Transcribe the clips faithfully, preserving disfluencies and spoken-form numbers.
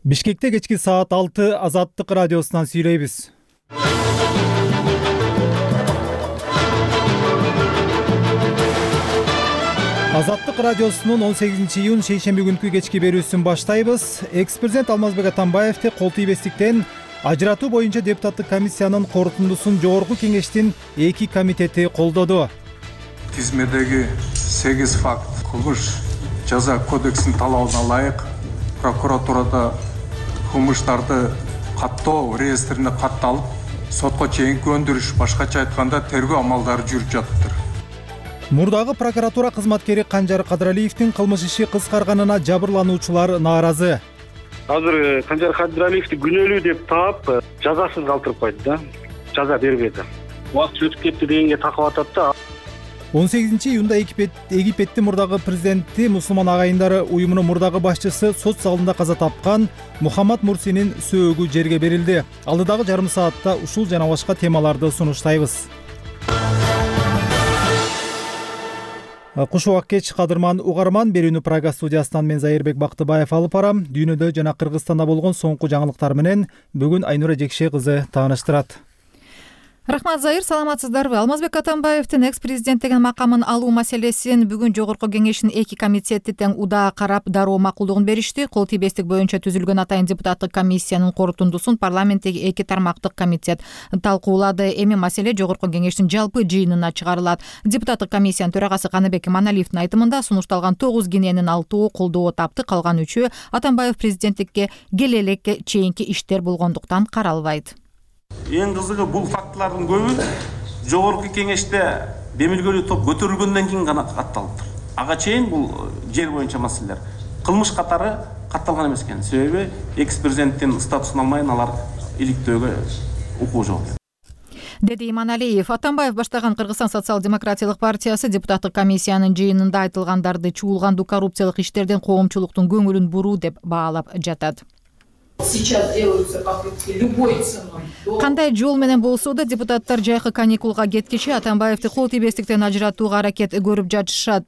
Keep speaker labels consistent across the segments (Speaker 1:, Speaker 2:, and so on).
Speaker 1: Бишкекте кечки саат алты Азаттык радиосунан сүйлөйбүз. Азаттык радиосунун он сегизинчи июнь шейшемби күнкү кечки берүүсүн баштайбыз. Экс-президент Алмазбек Атамбаевди кол тийбестиктен ажыратуу боюнча депутаттык комиссиянын корутундусун жогорку кеңештин эки комитети колдоду.
Speaker 2: Тизмедеги сегиз факт кылмыш жаза кодексинин талабына ылайык прокуратурада кылмыштарды каттоо реестрине катталып, сотко чейинки өндүрүш, башкача айтканда тергөө амалдары жүрүп жатыптыр.
Speaker 1: Мурдагы прокуратура кызматкери Канжар Кадыралиевдин кылмыш иши кыскарганына жабырлануучулар нааразы.
Speaker 3: Азыр Канжар Кадыралиевди күнөөлүү деп таап, жазасыз калтырып койду да. Жаза бербеди. Убакыт өтүп кетти дегенге такап атат да.
Speaker 1: он сегизинчи июнда Египеттин мурдагы президенти мусулман агайындары уюмунун мурдагы башчысы сот залында каза тапкан Мухаммад Мурсинин сөөгү жерге берилди. Алдыдагы жарым саатта ушул жана башка темаларды сунуштайбыз. Куш убак кеч, кадырман угарман, берүүнү Прага студиясынан мен Зайырбек Бактыбаев алып барам. Дүйнөдө жана Кыргызстанда болгон соңку жаңылыктар менен бүгүн Айнура Жекше кызы тааныштырат.
Speaker 4: Рахмат, Зайыр, саламатсыздарбы? Алмазбек Атамбаевдин экс-президенттигин макамын алуу маселесин бүгүн жогорку кеңештин эки комитети тең удаа карап, дароо макулдугун беришти. Кол тийбестик боюнча түзүлгөн атайын депутаттык комиссиянын корутундусун парламенттеги эки тармактык комитет талкуулады. Эми маселе жогорку кеңештин жалпы жыйынына чыгарылат. Депутаттык комиссиянын төрагасы Каныбек Иманалиевдин айтымында сунушталган тогуз кененин алтоо колдоо тапты, калган үчөө Атамбаев президенттикке келе элекке чейинки иштер болгондуктан каралбайт.
Speaker 5: Эң кызыгы бул фактылардын көбү жогорку кеңеште демилгелүү топ көтөрүлгөндөн кийин гана катталыптыр. Ага чейин бул жер боюнча маселелер кылмыш катары катталган эмес экен. Себеби экс-президенттин статусун алмайын алар иликтөөгө укугу жок экен,
Speaker 4: деди Иманалиев. Атамбаев баштаган Кыргызстан социал-демократиялык партиясы депутаттык комиссиянын жыйынында айтылгандарды чуулгандуу коррупциялык иштерден коомчулуктун көңүлүн буруу деп баалап жатат.
Speaker 6: Сейчас делаются попытки любой ценой.
Speaker 4: Кандай жол менен болсо да депутаттар жайкы каникулга кеткичи Атамбаевди кол тийбестиктен ажыратууга аракет көрүп жатышат.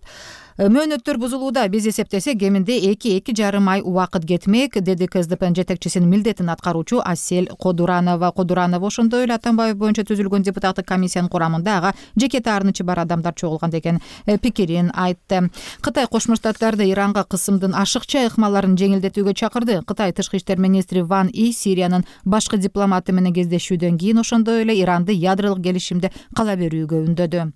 Speaker 4: Мөөнөттөр бузулууда, биз эсептесек кеминде эки-эки жарым ай убакыт кетмек, деди КСДПнын жетекчисинин милдетин аткаруучу Асель Кодуранова. Кодуранова ошондой эле Атамбаев боюнча түзүлгөн депутаттык комиссиянын курамында ага жеке таарынычы бар адамдар чогулган деген пикирин айтты. Кытай Кошмо Штаттарды Иранга кысымдын ашыкча ыкмаларын жеңилдетүүгө чакырды. Кытай тышкы иштер министри Ван И Сириянын башкы дипломаты менен кездешүүдөн кийин ошондой эле Иранды ядролук келишимде кала берүүгө үндөдү.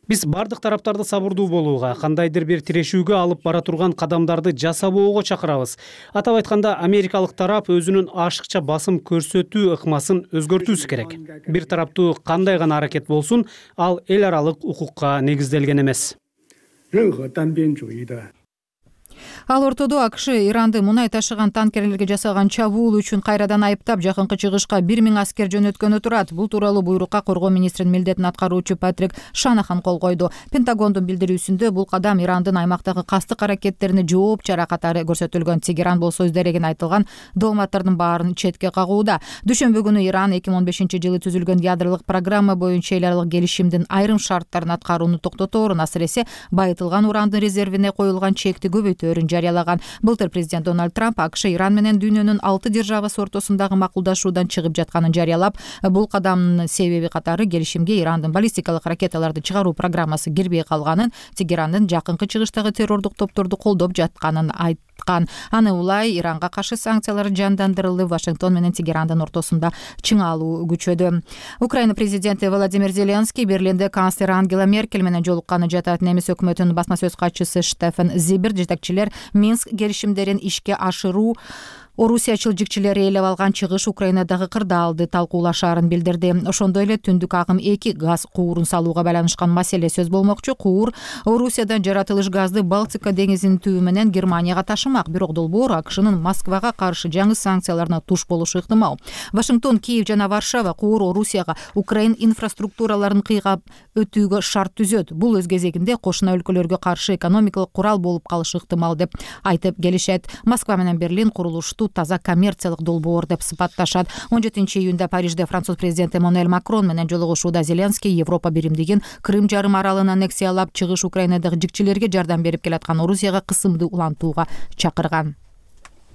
Speaker 7: Биз бардык тараптарды сабырдуу болууга, кандайдыр бир тирешүүгө алып бара турган кадамдарды жасабоого чакырабыз. Атап айтканда, америкалык тарап өзүнүн ашыкча басым көрсөтүү ыкмасын өзгөртүүсү керек. Бир тараптуу кандай гана аракет болсун, ал эл аралык укукка негизделген эмес.
Speaker 4: Ал ортодо АКШ Иранды мунай ташыган танкерлерге жасаган чабуул үчүн кайрадан айыптап, жакынкы чыгышка бир миң аскер жөнөткөнү турат. Бул тууралуу буйрукка коргоо министринин милдетин аткаруучу Патрик Шанахан кол койду. Пентагондун билдирүүсүндө бул кадам Ирандын аймактагы кастык аракеттерине жооп чара катары көрсөтүлгөн. Тегеран болсо өз дерегин айтылган дооматтардын баарын четке кагууда. Дүйшөмбү күнү Иран эки миң он бешинчи жылы түзүлгөн ядролук программа боюнча эл аралык келишимдин айрым шарттарын аткарууну токтоторун, асыресе байытылган урандын резервине коюлган чекти көбөйтөөрүн жарыялаган. Былтыр президент Дональд Трамп АКШ Иран менен дүйнөнүн алты державасы ортосундагы макулдашуудан чыгып жатканын жарыялап, бул кадамдын себеби катары келишимге Ирандын баллистикалык ракеталарды чыгаруу программасы кирбей калганын, Тегерандын жакынкы чыгыштагы террордук топторду колдоп жатканын айткан. Аны улай Иранга каршы санкциялар жандандырылды. Вашингтон менен Тегерандын ортосунда чыңалуу күчөдү. Украина президенти Владимир Зеленский Берлинде канцлер Ангела Меркель менен жолукканы жатат. Немис өкмөтүнүн басма сөз катчысы Штефан Зибер жетекчилер Минск келишимдерин ишке ашыруу Орусиячыл жикчилери ээлеп алган чыгыш Украинадагы кырдаалды талкуулашаарын билдирди. Ошондой эле түндүк агым эки газ куурун салууга байланышкан маселе сөз болмокчу. Куур Орусиядан жаратылыш газды Балтика деңизинин түбү менен Германияга ташымак. Бирок долбоор АКШнын Москвага каршы жаңы санкцияларына туш болушу ыктымал. Вашингтон, Киев жана Варшава куур Орусияга Украин инфраструктураларын кыйгап өтүүгө шарт түзөт. Бул өз кезегинде кошуна өлкөлөргө каршы экономикалык курал болуп калышы ыктымал деп айтып келишет. Москва менен Берлин курулушту бул таза коммерциялык долбоор деп сыпатташат. он жетинчи июнда Парижде француз президенти Эммануэль Макрон менен жолугушууда Зеленский Европа биримдигин Крым жарым аралын аннексиялап, чыгыш Украинадагы жикчилерге жардам берип келаткан Орусияга кысымды улантууга чакырган.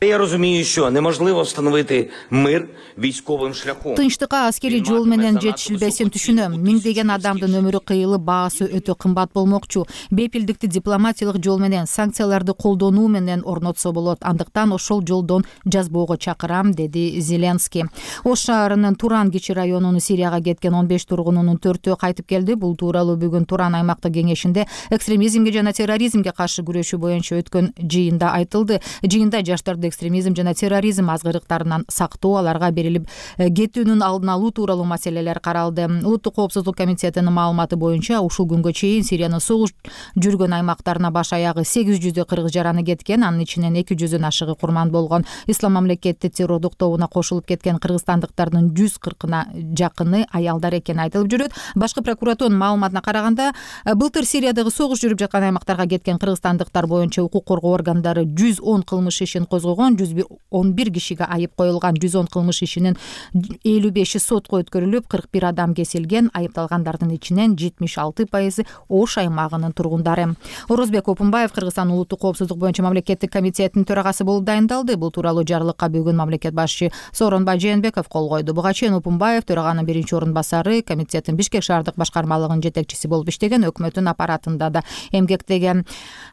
Speaker 8: Я розумію, що неможливо встановити мир військовим шляхом.
Speaker 4: Тынчтыкка аскерий жол менен жетишилбесин түшүнөм. Миңдеген адамдын өмүрү кыйылып, баасы өтө кымбат болмокчу. Бепилдикти дипломатиялык жол менен, санкцияларды колдонуу менен орнотсо болот. Андыктан ошол жолдон жазбоого чакырам, деди Зеленский. Ош шаарынын Туран кичи районунун Сирияга кеткен он беш тургунунун төртөө кайтып келди. Бул тууралуу бүгүн Туран аймактык кеңешинде экстремизмге жана терроризмге каршы күрөшүү боюнча өткөн жыйында айтылды. Жыйында жаштарды экстремизм жана терроризм азгырыктарынан сактоо, аларга берилип кетүүнүн алдын алуу тууралуу маселелер каралды. Улуттук коопсуздук комитетинин маалыматы боюнча ушул күнгө чейин Сириянын согуш жүргөн аймактарына баш аягы сегиз жүздөй кыргыз жараны кеткен, анын ичинен эки жүздөн ашыгы курман болгон. Ислам мамлекети террордук тобуна кошулуп кеткен кыргызстандыктардын жүз кыркына жакыны аялдар экени айтылып жүрөт. Башкы прокуратуранын маалыматына караганда, былтыр Сириядагы согуш жүрүп жаткан аймактарга кеткен кыргызстандыктар боюнча укук коргоо органдары жүз он кылмыш ишин козгогон, жүз он бир кишиге айып коюлган. жүз он кылмыш ишинин элүү беши сотко өткөрүлүп, кырк бир адам кесилген. Айыпталгандардын ичинен жетимиш алты пайызы Ош аймагынын тургундары. Орозбек Опунбаев Кыргызстан улуттук коопсуздук боюнча мамлекеттик комитетинин төрагасы болуп дайындалды. Бул тууралуу жарлыкка бүгүн мамлекет башчы Сооронбай Жээнбеков кол койду. Буга чейин Опунбаев төраганын биринчи орун басары, комитеттин Бишкек шаардык башкармалыгынын жетекчиси болуп иштеген, өкмөттүн аппаратында да эмгектеген.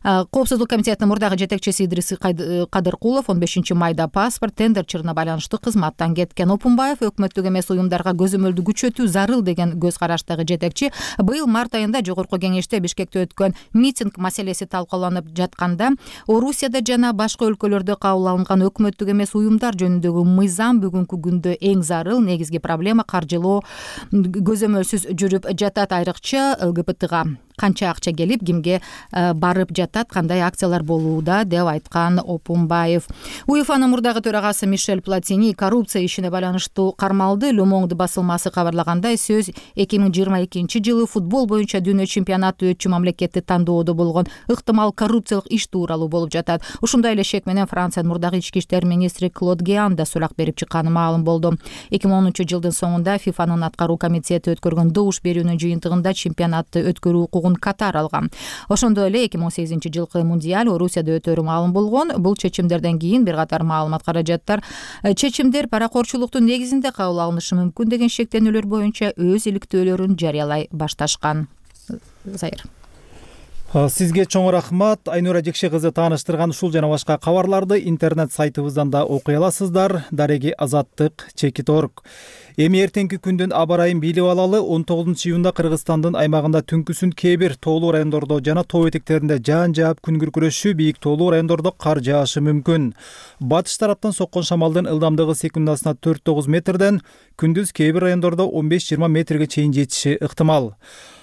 Speaker 4: Коопсуздук комитетинин мурдагы жетекчиси Идрис Кадыркулов он бешинчи майда паспорт тендерчилине байланыштуу кызматтан кеткен. Опунбаев өкмөттүк эмес уюмдарга көзөмөлдү күчөтүү зарыл деген көз караштагы жетекчи быйыл март айында жогорку кеңеште Бишкекте өткөн митинг маселеси талкууланып жатканда Орусияда жана башка өлкөлөрдө кабыл алынган өкмөттүк эмес уюмдар жөнүндөгү мыйзам бүгүнкү күндө эң зарыл негизги проблема каржылоо көзөмөлсүз жүрүп жатат. Айрыкча ЛГБТга канча акча келип, кимге барып жатат, кандай акциялар болууда деп айткан Опунбаев. УЕФАнын мурдагы төрагасы Мишель Платини коррупция ишине байланыштуу кармалды. Le Monde басылмасы кабарлагандай, сөз эки миң жыйырма экинчи жылы футбол боюнча дүйнө чемпионаты өтчү мамлекетти тандоодо болгон ыктымал коррупциялык иш тууралуу болуп жатат. Ушундай эле шек менен Франциянын мурдагы ички иштер министри Клод Геан да сурак берип чыкканы маалым болду. эки миң онунчу жылдын соңунда ФИФАнын аткаруу комитети өткөргөн добуш берүүнүн жыйынтыгында чемпионатты өткөрүү укугун Катар алган. Ошондой эле эки миң сегизинчи жылкы мундиаль Орусияда өтөрү маалым болгон. Бул чечимдерден кийин бир катар маалымат каражаттар чечимдер паракорчулуктун негизинде кабыл алынышы мүмкүн деген шектенүүлөр боюнча өз иликтөөлөрүн жарыялай башташкан. Зайыр.
Speaker 1: Сизге чоң рахмат. Айнура Жекше кызы тааныштырган ушул жана башка кабарларды интернет сайтыбыздан да окуй аласыздар. Дареги Азаттык чекит точка орг. Эми эртеңки күндүн аба ырайын билип алалы. он тогузунчу июнда Кыргызстандын аймагында түнкүсүн кээ бир тоолуу райондордо жана тоо этектеринде жаан жаап күн күркүрөшү, бийик тоолуу райондордо кар жаашы мүмкүн. Батыш тараптан соккон шамалдын ылдамдыгы секундасына төрт тогуз метрден, күндүз кээ бир райондордо он беш жыйырма метрге чейин жетиши ыктымал.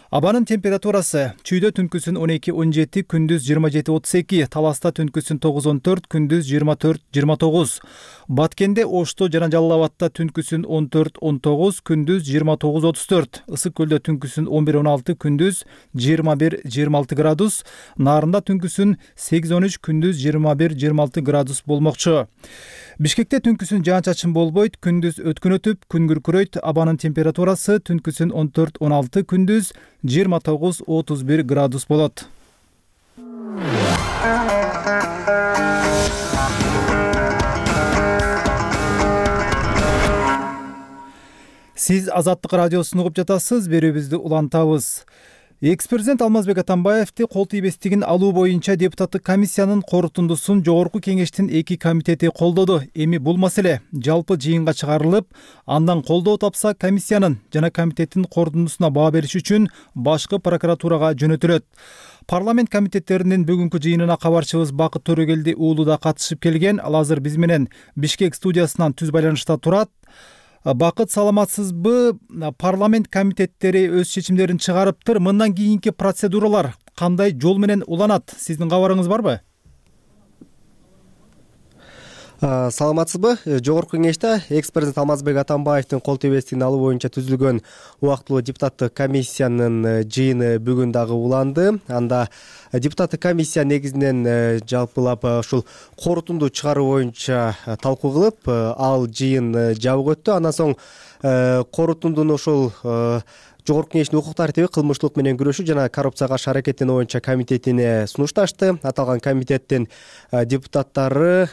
Speaker 1: Абанын температурасы: Чүйдө түнкүсүн он эки он жети, күндүз жыйырма жети отуз эки, Таласта түнкүсүн тогуз он төрт, күндүз жыйырма төрт жыйырма тогуз. Баткенде, Ошто жана Жалал Абадта түнкүсүн он төрт он тогуз, күндүз жыйырма тогуз отуз төрт. Ысык көлдө түнкүсүн он бир он алты, күндүз жыйырма бир жыйырма алты градус. Нарында түнкүсүн сегиз он үч, күндүз жыйырма бир жыйырма алты градус болмокчу. Бишкекте түнкүсүн жаан-чачын болбойт, күндүз өткөн өтүп, күн күркүрөйт. Абанын температурасы түнкүсүн он төрт он алты, күндүз жыйырма тогуз отуз бир градус болот. Сиз Азаттык радиосун угуп жатасыз, берүүбүздү улантабыз. Экс-президент Алмазбек Атамбаевди кол тийбестигин алуу боюнча депутаттык комиссиянын корутундусун жогорку кеңештин эки комитети колдоду. Эми бул маселе жалпы жыйынга чыгарылып, андан колдоо тапса комиссиянын жана комитеттин корутундусуна баа бериш үчүн башкы прокуратурага жөнөтүлөт. Парламент комитеттеринин бүгүнкү жыйынына кабарчыбыз Бакыт Төрөгелди уулу да катышып келген. Ал азыр биз менен Бишкек студиясынан түз байланышта турат. Бакыт, саламатсызбы? Парламент комитеттери өз чечимдерин чыгарыптыр. Мындан кийинки процедуралар кандай жол менен уланат? Сиздин кабарыңыз барбы?
Speaker 9: Саламатсызбы? Жогорку кеңеште экс президент Алмазбек Атамбаевдин кол тийбестигин алуу боюнча түзүлгөн убактылуу депутаттык комиссиянын жыйыны бүгүн дагы уланды. Анда депутаттык комиссия негизинен жалпылап ушул корутунду чыгаруу боюнча талкуу кылып, ал жыйын жабык өттү. Андан соң корутундун ушул Жогорку кеңештин укук тартиби, кылмыштуулук менен күрөшүү жана коррупцияга каршы аракеттенүү боюнча комитетине сунушташты. Аталган комитеттин депутаттары,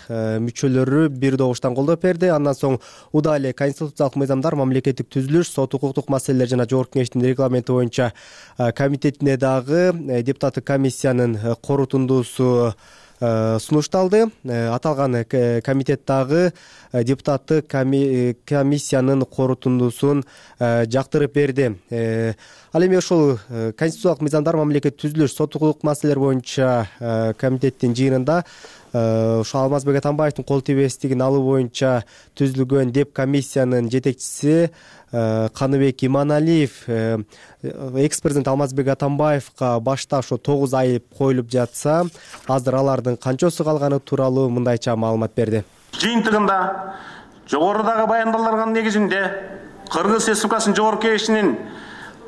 Speaker 9: мүчөлөрү бир добуштан колдоп берди. Андан соң уда эле конституциялык мыйзамдар, мамлекеттик түзүлүш, сот укуктук маселелер жана Жогорку кеңештин регламенти боюнча комитетине дагы депутаттык комиссиянын корутундусу сунушталды. Аталган комитет дагы депутаттык комиссиянын корутундусун жактырып берди. Ал эми ошол конституциялык мыйзамдар, мамлекеттик түзүлүш, сот укуктук маселелер боюнча комитеттин жыйынында ошо Алмазбек Атамбаевдин кол тийбестигин алуу боюнча түзүлгөн деп комиссиянын жетекчиси Каныбек Иманалиев экс президент Алмазбек Атамбаевга башта ошо тогуз айып коюлуп жатса, азыр алардын канчасы калганы тууралуу мындайча маалымат берди.
Speaker 5: Жыйынтыгында жогорудагы баяндалган негизинде Кыргыз Республикасынын Жогорку кеңешинин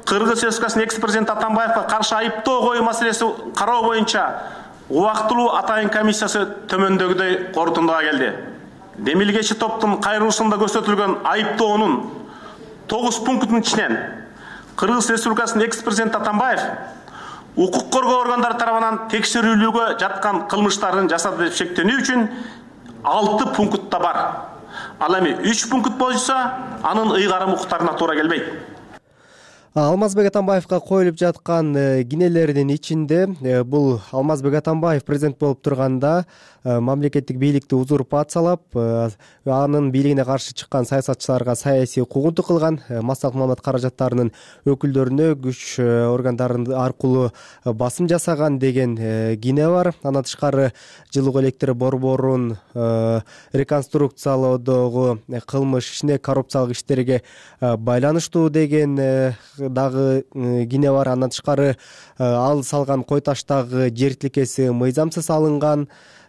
Speaker 5: Кыргыз Республикасынын экс президент Атамбаевга каршы айыптоо коюу маселеси кароо боюнча убактылуу атайын комиссиясы төмөндөгүдөй корутундуга келди. Демилгечи топтун кайрылышында көрсөтүлгөн айыптоонун тогуз пунктунун ичинен Кыргыз Республикасынын экс президент Атамбаев укук коргоо органдары тарабынан текшерүүлүүгө жаткан кылмыштарын жасады деп шектенүү үчүн алты пунктта бар. Ал эми үч пункт боюнча анын ыйгарым укуктарына туура келбейт.
Speaker 9: Алмазбек Атамбаевга коюлуп жаткан кинелердин ичинде бул Алмазбек Атамбаев президент болуп турганда мамлекеттик бийликти узурпациялап, анын бийлигине каршы чыккан саясатчыларга саясий куугунтук кылган, массалык маалымат каражаттарынын өкүлдөрүнө күч органдары аркылуу басым жасаган деген кине бар. Андан тышкары жылуу электр борборун реконструкциялоодогу кылмыш ишине, коррупциялык иштерге байланыштуу деген дагы кине бар. Андан тышкары ал салган кой таштагы жер тилкеси мыйзамсыз алынган,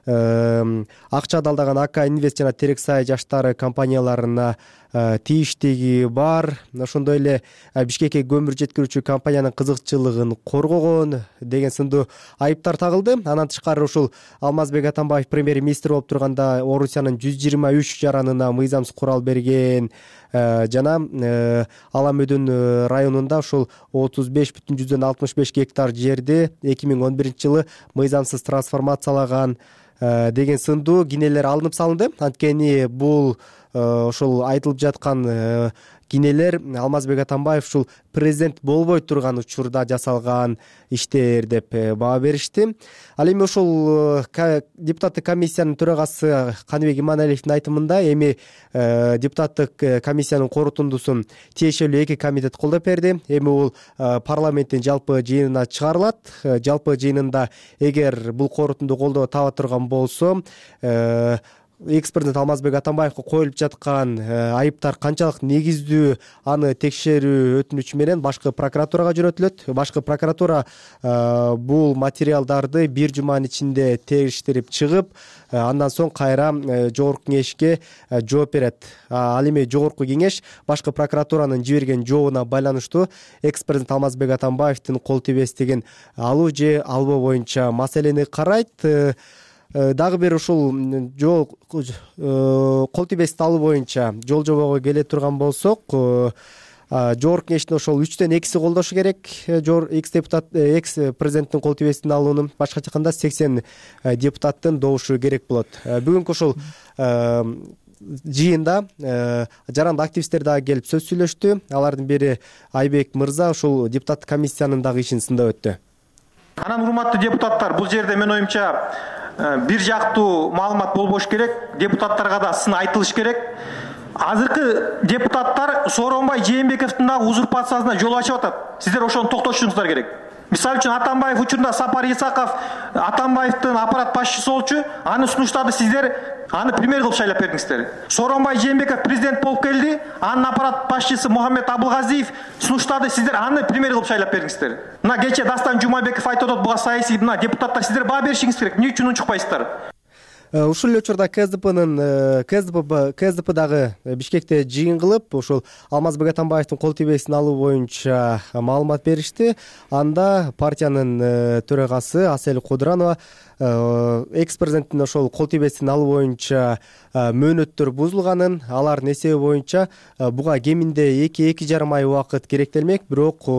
Speaker 9: акча далдаган АК Инвест жана Терексай жаштары компанияларына тийиштиги бар. Ошондой эле Бишкекке көмүр жеткирүүчү компаниянын кызыкчылыгын коргогон деген сындуу айыптар тагылды. Андан тышкары ушул Алмазбек Атамбаев премьер-министр болуп турганда Орусиянын жүз жыйырма үч жаранына мыйзамсыз курал берген жана Аламөдүн районунда ушул отуз беш бүтүн жүздөн алтымыш беш гектар жерди эки миң он биринчи жылы мыйзамсыз трансформациялаган деген сындуу кинелер алынып салынды. Анткени бул ошол айтылып жаткан кинелер Алмазбек Атамбаев ушул президент болбой турган учурда жасалган иштер деп баа беришти. Ал эми ошол депутаттык комиссиянын төрагасы Каныбек Иманалиевдин айтымында эми депутаттык комиссиянын корутундусун тиешелүү эки комитет колдоп берди. Эми бул парламенттин жалпы жыйынына чыгарылат. Жалпы жыйынында эгер бул корутунду колдоо таба турган болсо, экс президент Алмазбек Атамбаевга коюлуп жаткан айыптар канчалык негиздүү, аны текшерүү өтүнүчү менен башкы прокуратурага жөнөтүлөт. Башкы прокуратура бул материалдарды бир жуманын ичинде териштирип чыгып, андан соң кайра Жогорку кеңешке жооп берет. Ал эми Жогорку кеңеш башкы прокуратуранын жиберген жообуна байланыштуу экс президент Алмазбек Атамбаевдин кол тийбестигин алуу же албоо боюнча маселени карайт. Дагы бир ушул жол кол тийбестикти алуу боюнча жол жобого келе турган болсок, Жогорку кеңештин ошол үчтөн экиси колдошу керек. Экс депутат, экс президенттин кол тийбестигин алуунун башкача айтканда сексен депутаттын добушу керек болот. Бүгүнкү ушул жыйында жарандык активисттер дагы келип сөз сүйлөштү. Алардын бири Айбек мырза ушул депутаттык комиссиянын дагы ишин сындап өттү.
Speaker 10: Анан урматтуу депутаттар, бул жерде мен оюмча бир жактуу маалымат болбош керек, депутаттарга да сын айтылыш керек. Азыркы депутаттар Сооронбай Жээнбековдун дагы узурпациясына жол ачып атат. Сиздер ошону токтотушуңуздар керек. Мисалы үчүн Атамбаев учурунда Сапар Исаков Атамбаевдин аппарат башчысы болчу, аны сунуштады, сиздер аны премьер кылып шайлап бердиңиздер. Сооронбай Жээнбеков президент болуп келди, анын аппарат башчысы Мухаммед Абылгазиев сунуштады, сиздер аны премьер кылып шайлап бердиңиздер. Мына кече Дастан Жумабеков айтып атат, буга саясий мына депутаттар сиздер баа беришиңиз керек. Эмне үчүн унчукпайсыздар?
Speaker 9: Ушул эле учурда КСДПнын КСДП КСДП дагы Бишкекте жыйын кылып, ошол Алмазбек Атамбаевдин кол тийбесин алуу боюнча маалымат беришти. Анда партиянын төрагасы Асель Кудуранова экс-президенттин ошол кол тийбесин алуу боюнча мөөнөттөр бузулганын, алардын эсеби боюнча буга кеминде эки эки жарым ай убакыт керектелмек, бирок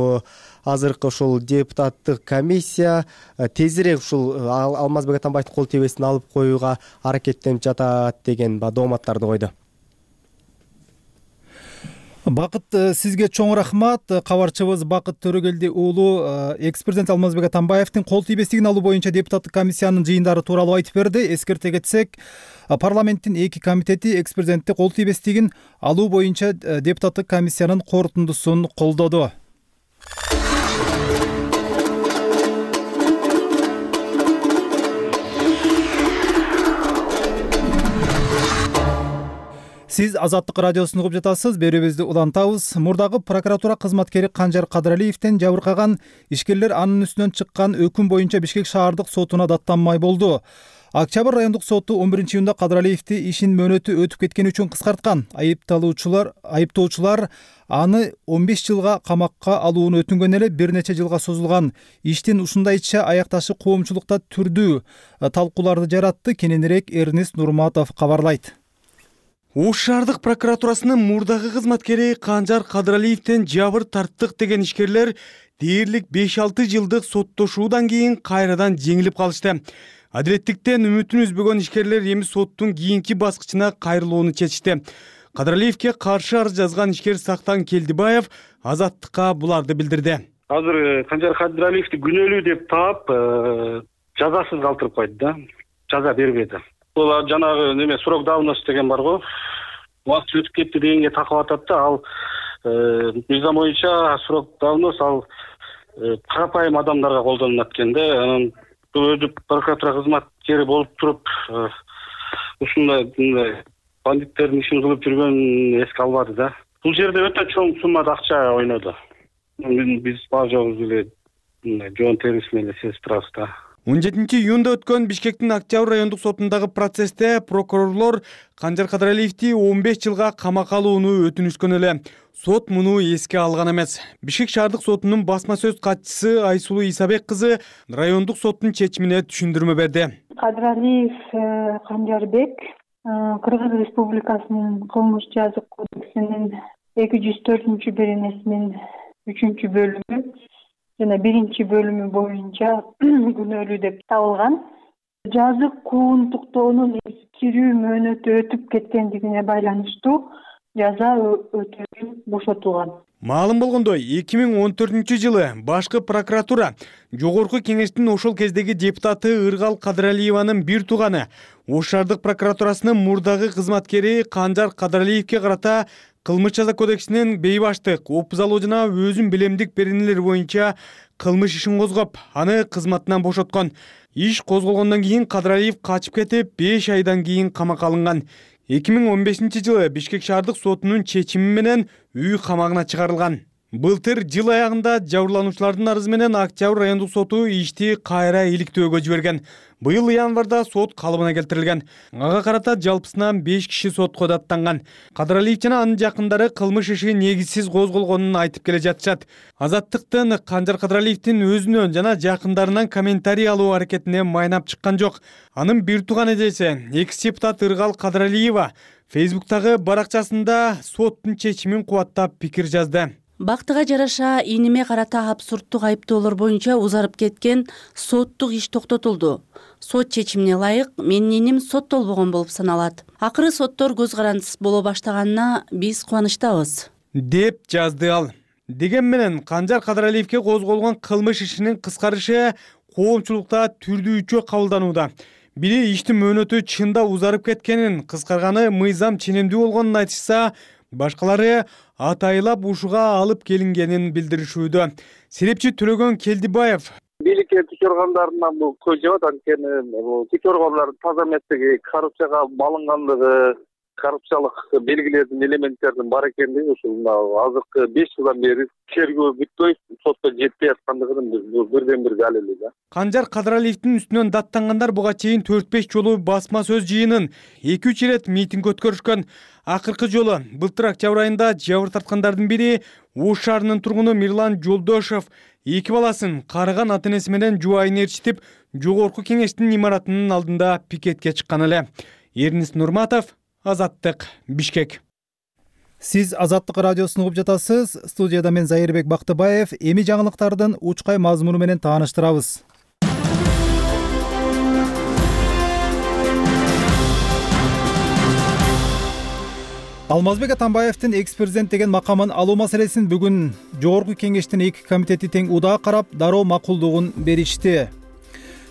Speaker 9: азыркы ошол депутаттык комиссия тезирээк ушул Алмазбек Атамбаевдин кол тийбесин алып коюуга аракеттенип жатат деген дооматтарды койду.
Speaker 1: Бакыт, сизге чоң рахмат. Кабарчыбыз Бакыт Төрөгелди уулу экс-президент Алмазбек Атамбаевдин кол тийбестигин алуу боюнча депутаттык комиссиянын жыйындары тууралуу айтып берди. Эскерте кетсек, парламенттин эки комитети экс-президентти кол тийбестигин алуу боюнча депутаттык комиссиянын корутундусун колдоду. Сиз Азаттык радиосун угуп жатасыз. Берүүбүздү улантабыз. Мурдагы прокуратура кызматкери Канжар Кадыралиевден жабыркаган ишкерлер анын үстүнөн чыккан өкүм боюнча Бишкек шаардык сотуна даттанмай болду. Октябрь райондук соту он биринчи июнда Кадыралиевди ишин мөөнөтү өтүп кеткени үчүн кыскарткан. Айыпталуучулар, айыптоочулар аны он беш жылга камакка алууну өтүнгөн эле бир нече жылга созулган иштин ушундайча аякташы коомчулукта түрдүү талкууларды жаратты. Кененирээк Эрнест Нурматов кабарлайт.
Speaker 11: Ош шаардык прокуратурасынын мурдагы кызматкери Канжар Кадыралиевден жабыр тарттык деген ишкерлер дээрлик беш алты жылдык соттошуудан кийин кайрадан жеңилип калышты. Адилеттиктен үмүтүн үзбөгөн ишкерлер эми соттун кийинки баскычына кайрылууну чечишти. Кадыралиевге каршы арыз жазган ишкер Сактан Келдибаев Азаттыкка буларды билдирди.
Speaker 3: Азыр Канжар Кадыралиевди күнөөлүү деп таап, жазасыз калтырып койду да. Жаза бербеди. Бул жанагы неме срок давности деген бар го. Убакыт өтүп кетти дегенге такап атат да, ал мыйзам боюнча срок давность ал карапайым адамдарга колдонулат экен да. Анан бул өзү прокуратура кызматкери болуп туруп ушундай бандиттердин ишин кылып жүргөнүн эске албады да. Бул жерде өтө чоң суммада акча ойноду. Биз бар жогубуз эле жоон терisi менен сезип турабыз да.
Speaker 11: он жетинчи июнда өткөн Бишкектин Октябрь райондук сотундагы процессте прокурорлор Канжар Кадыралиевди он беш жылга камакка алууну өтүнүшкөн эле. Сот муну эске алган эмес. Бишкек шаардык сотунун басма сөз катчысы Айсулуу Исабек кызы райондук соттун чечимине түшүндүрмө берди.
Speaker 12: Кадыралиев Канжарбек Кыргыз Республикасынын кылмыш жазык кодексинин эки жүз төртүнчү беренесинин үчүнчү бөлүмү жана биринчи бөлүмү боюнча күнөөлүү деп табылган. Жазык куугунтуктоонун эскирүү мөөнөтү өтүп кеткендигине байланыштуу жаза өтөөнүн бошотулган.
Speaker 11: Маалым болгондой, эки миң он төртүнчү жылы башкы прокуратура жогорку кеңештин ошол кездеги депутаты Ыргал Кадыралиеванын бир тууганы Ош шаардык прокуратурасынын мурдагы кызматкери Канжар Кадыралиевге карата кылмыш жаза кодексинин бейбаштык, опузалоо жана өзүн билемдик беренелери боюнча кылмыш ишин козгоп, аны кызматынан бошоткон. Иш козголгондон кийин Кадыралиев качып кетип, беш айдан кийин камакка алынган. эки миң он бешинчи жылы Бишкек шаардык сотунун чечими менен үй камагына чыгарылган. Былтыр жыл аягында жабырлануучулардын арызы менен Октябрь райондук соту ишти кайра иликтөөгө жиберген. Быйыл январда сот калыбына келтирилген. Ага карата жалпысынан беш киши сотко даттанган. Кадыралиев жана анын жакындары кылмыш иши негизсиз козголгонун айтып келе жатышат. Азаттыктын Канжар Кадыралиевдин өзүнөн жана жакындарынан комментарий алуу аракетине майнап чыккан жок. Анын бир тууган эжеси, экс-депутат Ыргал Кадыралиева Фейсбуктагы баракчасында соттун чечимин кубаттап пикир жазды.
Speaker 13: Бактыга жараша иниме карата абсурдтук айыптоолор боюнча узарып кеткен соттук иш токтотулду. Сот чечимине ылайык менин иним соттолбогон болуп саналат. Акыры соттор көз карандысыз боло баштаганына биз кубанычтабыз,
Speaker 11: деп жазды ал. Деген менен Канжар Кадыралиевге козголгон кылмыш ишинин кыскарышы коомчулукта түрдүүчө кабылданууда. Бири иштин мөөнөтү чында узарып кеткенин, кыскарганы мыйзам ченемдүү болгонун айтышса, башкалары атайлап ушуга алып келингенин билдиришүүдө. Серепчи Төлөгөн Келдибаев
Speaker 14: бийликке күч органдарынан бул көз жебат, анткени бул күч органдардын таза эместиги, коррупцияга малынгандыгы, коррупциялык белгилердин элементтердин бар экендиги ушул мына азыркы беш жылдан бери тергөө бүтпөй сотко жетпей аткандыгынын бирден бир далили да.
Speaker 11: Канжар Кадыралиевдин үстүнөн даттангандар буга чейин төрт беш жолу басма сөз жыйынын эки үч ирет митинг өткөрүшкөн. Акыркы жолу былтыр октябрь айында жабыр тарткандардын бири Ош шаарынын тургуну Мирлан Жолдошов эки баласын карыган ата энеси менен жубайын ээрчитип жогорку кеңештин имаратынын алдында пикетке чыккан эле. Эрнис Нурматов, Азаттык, Бишкек.
Speaker 1: Сиз Азаттык радиосун угуп жатасыз. Студияда мен Зайырбек Бактыбаев. Эми жаңылыктардын учкай мазмуну менен тааныштырабыз. Алмазбек Атамбаевдин экс-президент деген макамын алуу маселесин бүгүн Жогорку кеңештин эки комитети тең удаа карап, дароо макулдугун беришти.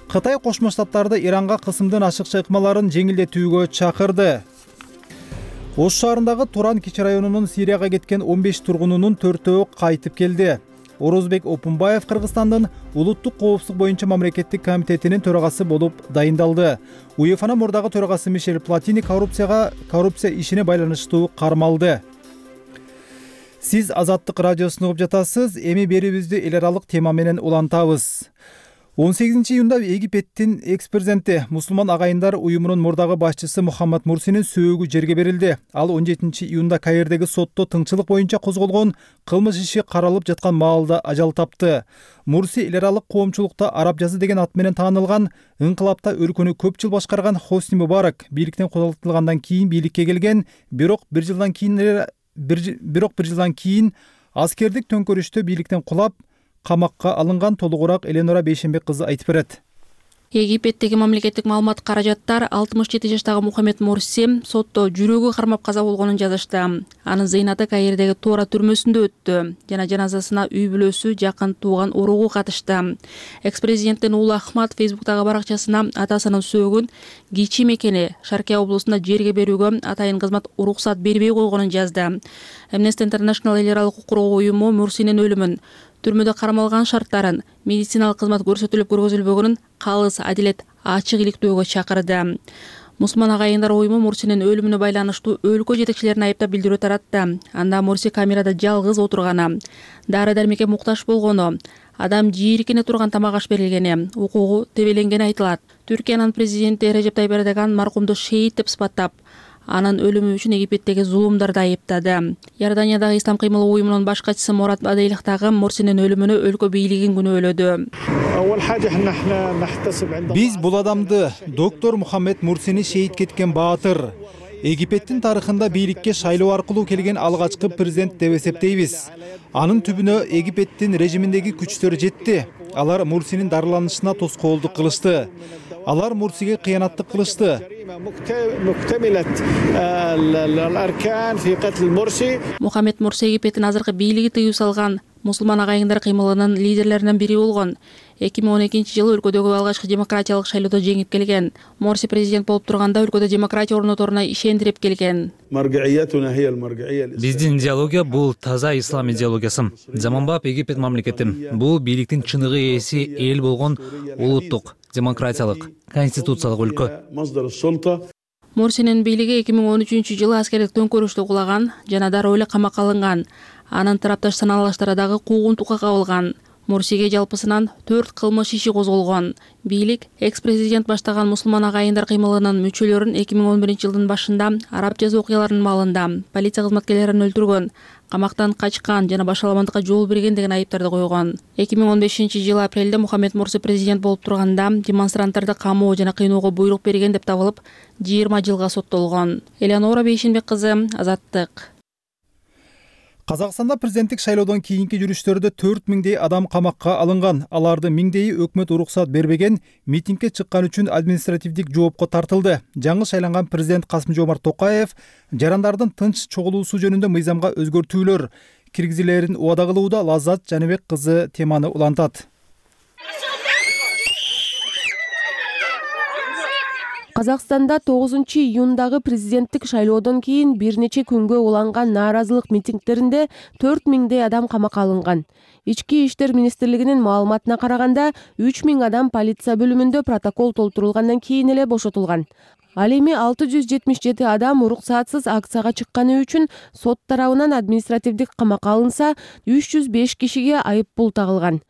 Speaker 1: Кытай Кошмо Штаттарды Иранга кысымдын ашыкча ыкмаларын жеңилдетүүгө чакырды. Ош шаарындагы Туран кичи районунун Сирияга кеткен он беш тургунунун төртөө кайтып келди. Орозбек Опунбаев Кыргызстандын улуттук коопсуздук боюнча мамлекеттик комитетинин төрагасы болуп дайындалды. УЕФАнын мурдагы төрагасы Мишель Платини коррупцияга коррупция ишине байланыштуу кармалды. Сиз Азаттык радиосун угуп жатасыз. Эми берүүбүздү эл аралык тема менен улантабыз. он сегизинчи июнда Египеттин экс-президенти Мусулман агайындар уюмунун мурдагы башчысы Мухаммад Мурсинин сөөгү жерге берилди. Ал он жетинчи июнда Каирдеги сотто тыңчылык боюнча козголгон кылмыш иши каралып жаткан маалда ажал тапты. Мурси эл аралык коомчулукта араб жазы деген ат менен таанылган, ыңкылапта өлкөнү көп жыл башкарган Хосни Мубарак бийликтен кудалтылгандан кийин бийликке келген, бирок бир жылдан кийин бирок бир жылдан кийин аскердик төңкөрүштө бийликтен кулап, камакка алынган. Толугураак Эленора Бейшенбек кызы айтып берет.
Speaker 15: Египеттеги мамлекеттик маалымат каражаттар алтымыш жети жаштагы Мухаммед Мурси сотто жүрөгү кармап каза болгонун жазышты. Анын зыйнаты Каирдеги Тора түрмөсүндө өттү жана жаназасына үй бүлөсү, жакын тууган уругу катышты. Экс-президенттин уулу Ахмад Фейсбуктагы баракчасына атасынын сөөгүн Кичи мекени Шаркия облусунда жерге берүүгө атайын кызмат уруксат бербей койгонун жазды. Amnesty International эл аралык укук коргоо уюму Мурсинин өлүмүн, түрмөдө кармалган шарттарын, медициналык кызмат көрсөтүлүп көргөзүлбөгөнүн калыс, адилет, ачык иликтөөгө чакырды. Мусулман агайындар уюму Мурсинин өлүмүнө байланыштуу өлкө жетекчилерин айыптап билдирүү таратты. Анда Мурси камерада жалгыз отурганы, дары дармекке муктаж болгону, адам жийиркене турган тамак аш берилгени, укугу тебеленгени айтылат. Түркиянын президенти Режеп Тайип Эрдоган маркумду шейит деп сыпаттап, анын өлүмү үчүн Египеттеги зулумдарды айыптады. Иорданиядагы Ислам кыймылы уюмунун баш катчысы Мурат Бадейлих дагы Мурсинин өлүмүнө өлкө бийлигин күнөөлөдү.
Speaker 1: Биз бул адамды, доктор Мухаммед Мурсини шейит кеткен баатыр, Египеттин тарыхында бийликке шайлоо аркылуу келген алгачкы президент деп эсептейбиз. Анын түбүнө Египеттин режиминдеги күчтөр жетти. Алар Мурсинин дарыланышына тоскоолдук кылышты. Алар Мурсиге кыянаттык кылышты.
Speaker 15: Мухаммед Мурси Египеттин азыркы бийлиги тыюу салган мусулман агайындар кыймылынын лидерлеринен бири болгон. эки миң он экинчи жылы өлкөдөгү алгачкы демократиялык шайлоодо жеңип келген. Мурси президент болуп турганда өлкөдө демократия орноторуна ишендирип келген.
Speaker 16: Биздин идеология бул таза ислам идеологиясы. Заманбап Египет мамлекети. Бул бийликтин чыныгы ээси эл болгон улуттук, демократиялык, конституциялык өлкө.
Speaker 15: Мурсинин бийлиги эки миң он үчүнчү жылы аскердик төңкөрүштү кулаган жана дароо эле камакка алынган. Анын тарапташ саналыштары дагы куугунтукка кабылган. Мурсиге жалпысынан төрт кылмыш иши козголгон. Бийлик экс-президент баштаган мусулман агайындар кыймылынын мүчөлөрүн эки миң он биринчи жылдын башында араб жазы окуяларынын маалында полиция кызматкерлерин өлтүргөн, камактан качкан жана башаламандыкка жол берген деген айыптарды койгон. эки миң он бешинчи жылы апрелде Мухаммед Мурси президент болуп турганда демонстранттарды камоо жана кыйноого буйрук берген деп табылып, жыйырма жылга соттолгон. Эленора Бейшенбек кызы, Азаттык.
Speaker 1: Казакстанда президенттик шайлоодон кийинки жүрүштөрдө төрт миңдей адам камакка алынган. Алардын миңдейи өкмөт уруксат бербеген, митингге чыккан үчүн административдик жоопко тартылды. Жаңы шайланган президент Касым-Жомарт Токаев жарандардын тынч чогулуусу жөнүндө мыйзамга өзгөртүүлөр киргизилерин убада кылууда. Лаззат Жаныбек кызы теманы улантат.
Speaker 17: Казакстанда тогузунчу июндагы президенттик шайлоодон кийин бир нече күнгө уланган нааразылык митингдеринде төрт миңдей адам камакка алынган. Ички иштер министрлигинин маалыматына караганда үч миң адам полиция бөлүмүндө протокол толтурулгандан кийин эле бошотулган. Ал эми алты жүз жетимиш жети адам уруксатсыз акцияга чыкканы үчүн сот тарабынан административдик камакка алынса, үч жүз беш кишиге айып пул тагылган.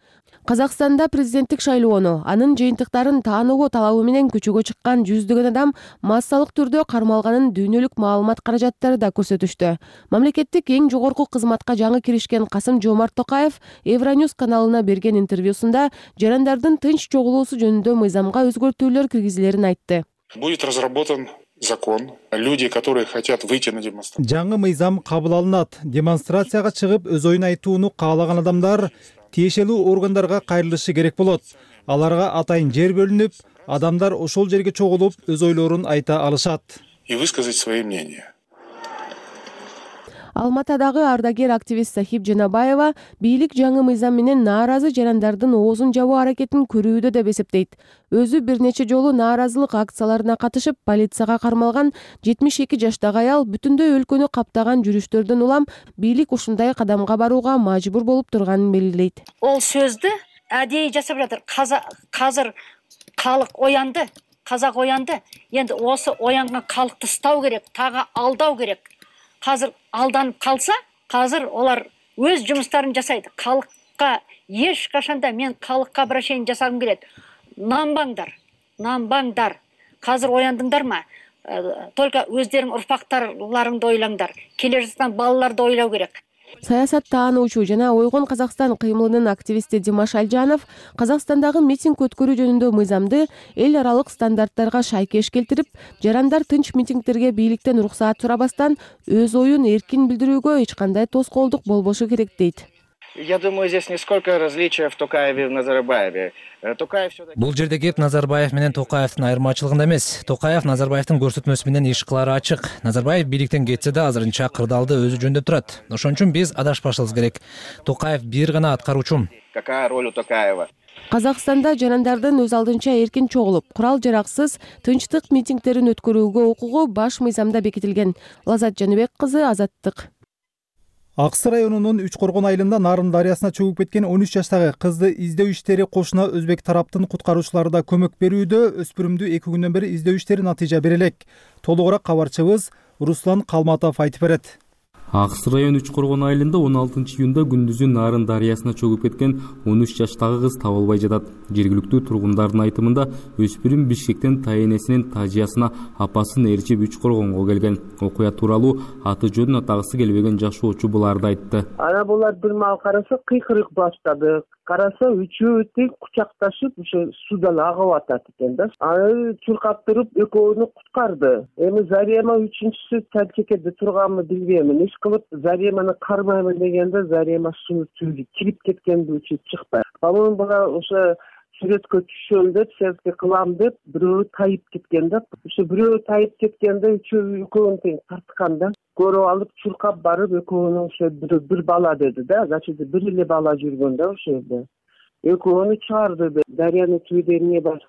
Speaker 17: Казакстанда президенттик шайлоону, анын жыйынтыктарын таанугу талабы менен көчөгө чыккан жүздөгөн адам массалык түрдө кармалганын дүйнөлүк маалымат каражаттары да көрсөтүштү. Мамлекеттик эң жогорку кызматка жаңы киришкен Касым-Жомарт Токаев Евроньюз каналына берген интервьюсунда жарандардын тынч чогулуусу жөнүндө мыйзамга өзгөртүүлөр киргизилерин айтты.
Speaker 18: Будет разработан закон. Люди, которые хотят выйти на демонстрацию.
Speaker 1: Жаңы мыйзам кабыл алынат. Демонстрацияга чыгып өз оюн айтууну каалаган адамдар тиешелүү органдарга кайрылышы керек болот. Аларга атайын жер бөлүнүп, адамдар ошол жерге чогулуп өз ойлорун айта алышат.
Speaker 18: И высказать свои мнения.
Speaker 17: Алматадагы ардагер активист Сахип Жанабаева бийлик жаңы мыйзам менен нааразы жарандардын оозун жабуу аракетин көрүүдө деп эсептейт. Өзү бир нече жолу нааразылык акцияларына катышып, полицияга кармалган жетимиш эки жаштагы аял бүтүндөй өлкөнү каптаган жүрүштөрдөн улам бийлик ушундай кадамга барууга мажбур болуп турганын белгилейт.
Speaker 19: Ол сөздү адейи жасап жатыр. Казыр калык оянды, казак оянды. Енді осы оянган калыкты стау керек, тағы алдау керек. Қазір алданып қалса, қазір олар өз жұмыстарын жасайды. Калыкка еш қашанда мен калыкка обращение жасағым келеді. Нанбаңдар, нанбаңдар. Қазір ояндыңдар ма? Только өздерің ұрпақтарларыңды ойлаңдар. Келе жатқан балаларды ойлау керек.
Speaker 17: Саясат таануучу жана Ойгон Казакстан кыймылынын активисти Димаш Алжанов Казакстандагы митинг өткөрүү жөнүндө мыйзамды эл аралык стандарттарга шайкеш келтирип, жарандар тынч митингтерге бийликтен уруксаат сурабастан өз оюн эркин билдирүүгө эч кандай тоскоолдук болбошу керек дейт.
Speaker 20: Я думаю, здесь не сколько различия в Токаеве и в Назарбаеве. Токаев все-таки...
Speaker 16: Бул жерде кеп Назарбаев менен Токаевдин айырмачылыгында эмес. Токаев Назарбаевдин көрсөтмөсү менен иш кылары ачык. Назарбаев бийликтен кетсе да азырынча кырдаалды өзү жөндөп турат. Ошон үчүн биз адашпашыбыз керек. Токаев бир гана аткаруучу.
Speaker 20: Какая роль у Токаева?
Speaker 17: Казакстанда жарандардын өз алдынча эркин чогулуп, курал жараксыз тынчтык митингтерин өткөрүүгө укугу баш мыйзамда бекитилген. Лазат Жаныбек кызы, Азаттык.
Speaker 1: Аксы районунун Үч Коргон айылында Нарын дарыясына чөгүп кеткен он үч жаштагы кызды издөө иштери кошуна өзбек тараптын куткаруучулары да көмөк берүүдө. Өспүрүмдү эки күндөн бери издөө иштери натыйжа бере элек. Толугураак кабарчыбыз Руслан Калматов айтып берет.
Speaker 21: Аксы район Үч Коргон айылында он алтынчы июнда күндүзү Нарын дарыясына чөгүп кеткен он үч жаштагы кыз табылбай жатат. Жергиликтүү тургундардын айтымында өспүрүм Бишкектен тайэнесинин тажыясына апасын ээрчип Үч Коргонго келген. Окуя тууралуу аты жөнүн атагысы келбеген жашоочу буларды айтты.
Speaker 22: Ана булар бир маал караса кыйкырык баштады. Караса үчөө тең кучакташып ошо судан агып атат экен да. Аны чуркап туруп экөөнү куткарды. Эми Зарема үчүнчүсү Тальчекеде турганмы билбейм. Иш кылып Зареманы кармаймын дегенде Зарема суу түбү кирип кеткенди үчү чыкпай. Балон бала ошо сүрөткө түшөм деп, селфи кылам деп бирөө тайып кеткен да. Ошо бирөө тайып кеткенде үчөө экөөнү тең тарткан да. Көрүп алып чуркап барып экөөнү ошо бир бала деди да. Значит, бир эле бала жүргөн да ошо жерде. Экөөнү чыгарды. Дарыянын түбүдө эмне бар?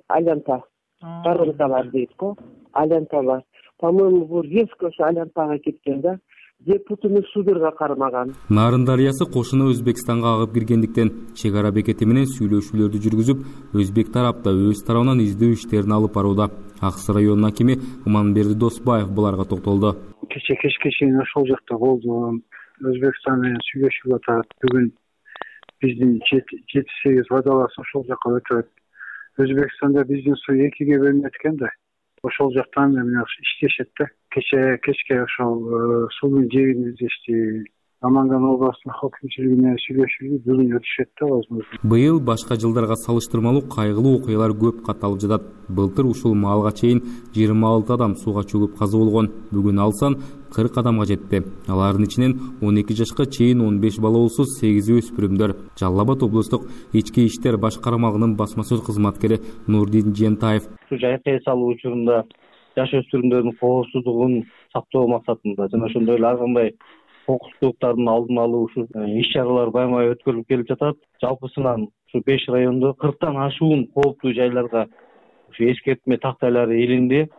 Speaker 22: Алянта. Барылта бар дейт го. Алянта бар. По-моему, бул резко ошо Алянтага кеткен да. Депутуну судурга кармаган.
Speaker 21: Нарын дарыясы кошуна Өзбекстанга агып киргендиктен чек ара бекети менен сүйлөшүүлөрдү жүргүзүп, өзбек тарапта өз тарабынан издөө иштерин алып барууда. Аксы районунун акими Иманберди Досбаев буларга токтолду.
Speaker 23: Кече кечке чейин ошол жакта болду. Өзбекстан менен сүйлөшүп атат. Бүгүн биздин жети сегиз водолаз ошол жака өтөт. Өзбекстанда биздин суу экиге бөлүнөт экен да. Ошол жактан эмне иштешет да. Кече кечке ошол суунун жегин издешти. Наманган областынын хакимчилиги менен сүйлөшүп, бүгүн өтүшөт да возможно.
Speaker 21: Быйыл башка жылдарга салыштырмалуу кайгылуу окуялар көп катталып жатат. Былтыр ушул маалга чейин жыйырма алты адам сууга чөгүп каза болгон. Бүгүн ал сан кырк адамга жетти. Алардын ичинен он эки жашка чейин он беш бала болсо сегизи өспүрүмдөр. Жалал Абад облустук ички иштер баш кармагынын басма сөз кызматкери Нурдин Жентаев.
Speaker 24: Суу жайкай салуу учурунда жаш өспүрүмдөрдүн коопсуздугун сактоо максатында жана ошондой эле ар кандай кокустуктардын алдын алуу ушул иш чаралар байма-бай өткөрүлүп келип жатат. Жалпысынан ушу беш райондо кырктан ашуун кооптуу жайларга ушу эскертме тактайлары илинди.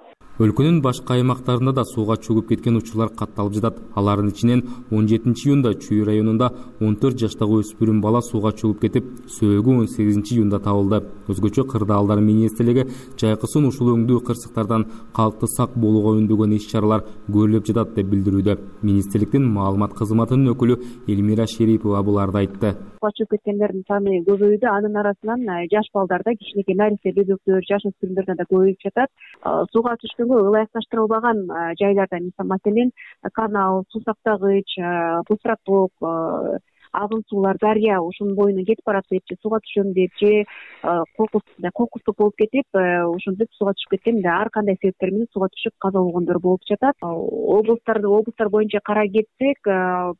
Speaker 21: Өлкөнүн башка аймактарында да сууга чөгүп кеткен учурлар катталып жатат. Алардын ичинен он жетинчи июнда Чүй районунда он төрт жаштагы өспүрүм бала сууга чөгүп кетип, сөөгү он сегизинчи июнда табылды. Өзгөчө Кырдаалдар министрлиги жайкысын ушул өңдүү кырсыктардан калкты сак болууга үндөгөн иш-чаралар көрүлүп жатат деп билдирүүдө. Министрликтин маалымат кызматынын өкүлү Элмира Шерипова буларды айтты.
Speaker 2: Сууга чөгүп кеткендердин саны көбөйдү. Анын арасынан жаш балдарда, кичинекей нарисе бөбөктөр, жаш өспүрүмдөрдө да көбөйүп жатат. Сууга түшкөнгө ылайыкташтырылбаган жайларда, маселен, канал, суу сактагыч, пустоток, агын суулар, дарыя ушунун боюнан кетип барат деп, же сууга түшөм деп, же кокустук болуп кетип, ошентип сууга түшүп кеткен, ар кандай себептер менен сууга түшүп каза болгондор болуп жатат. Облустарды облустар боюнча карай кетсек,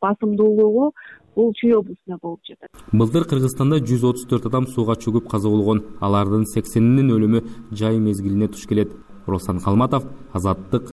Speaker 2: басымдуулугу бул Чүй облусунда болуп жатат.
Speaker 21: Былтыр Кыргызстанда жүз отуз төрт адам сууга чөгүп каза болгон. Алардын сексенинин өлүмү жай мезгилине туш келет. Руслан Калматов, Азаттык,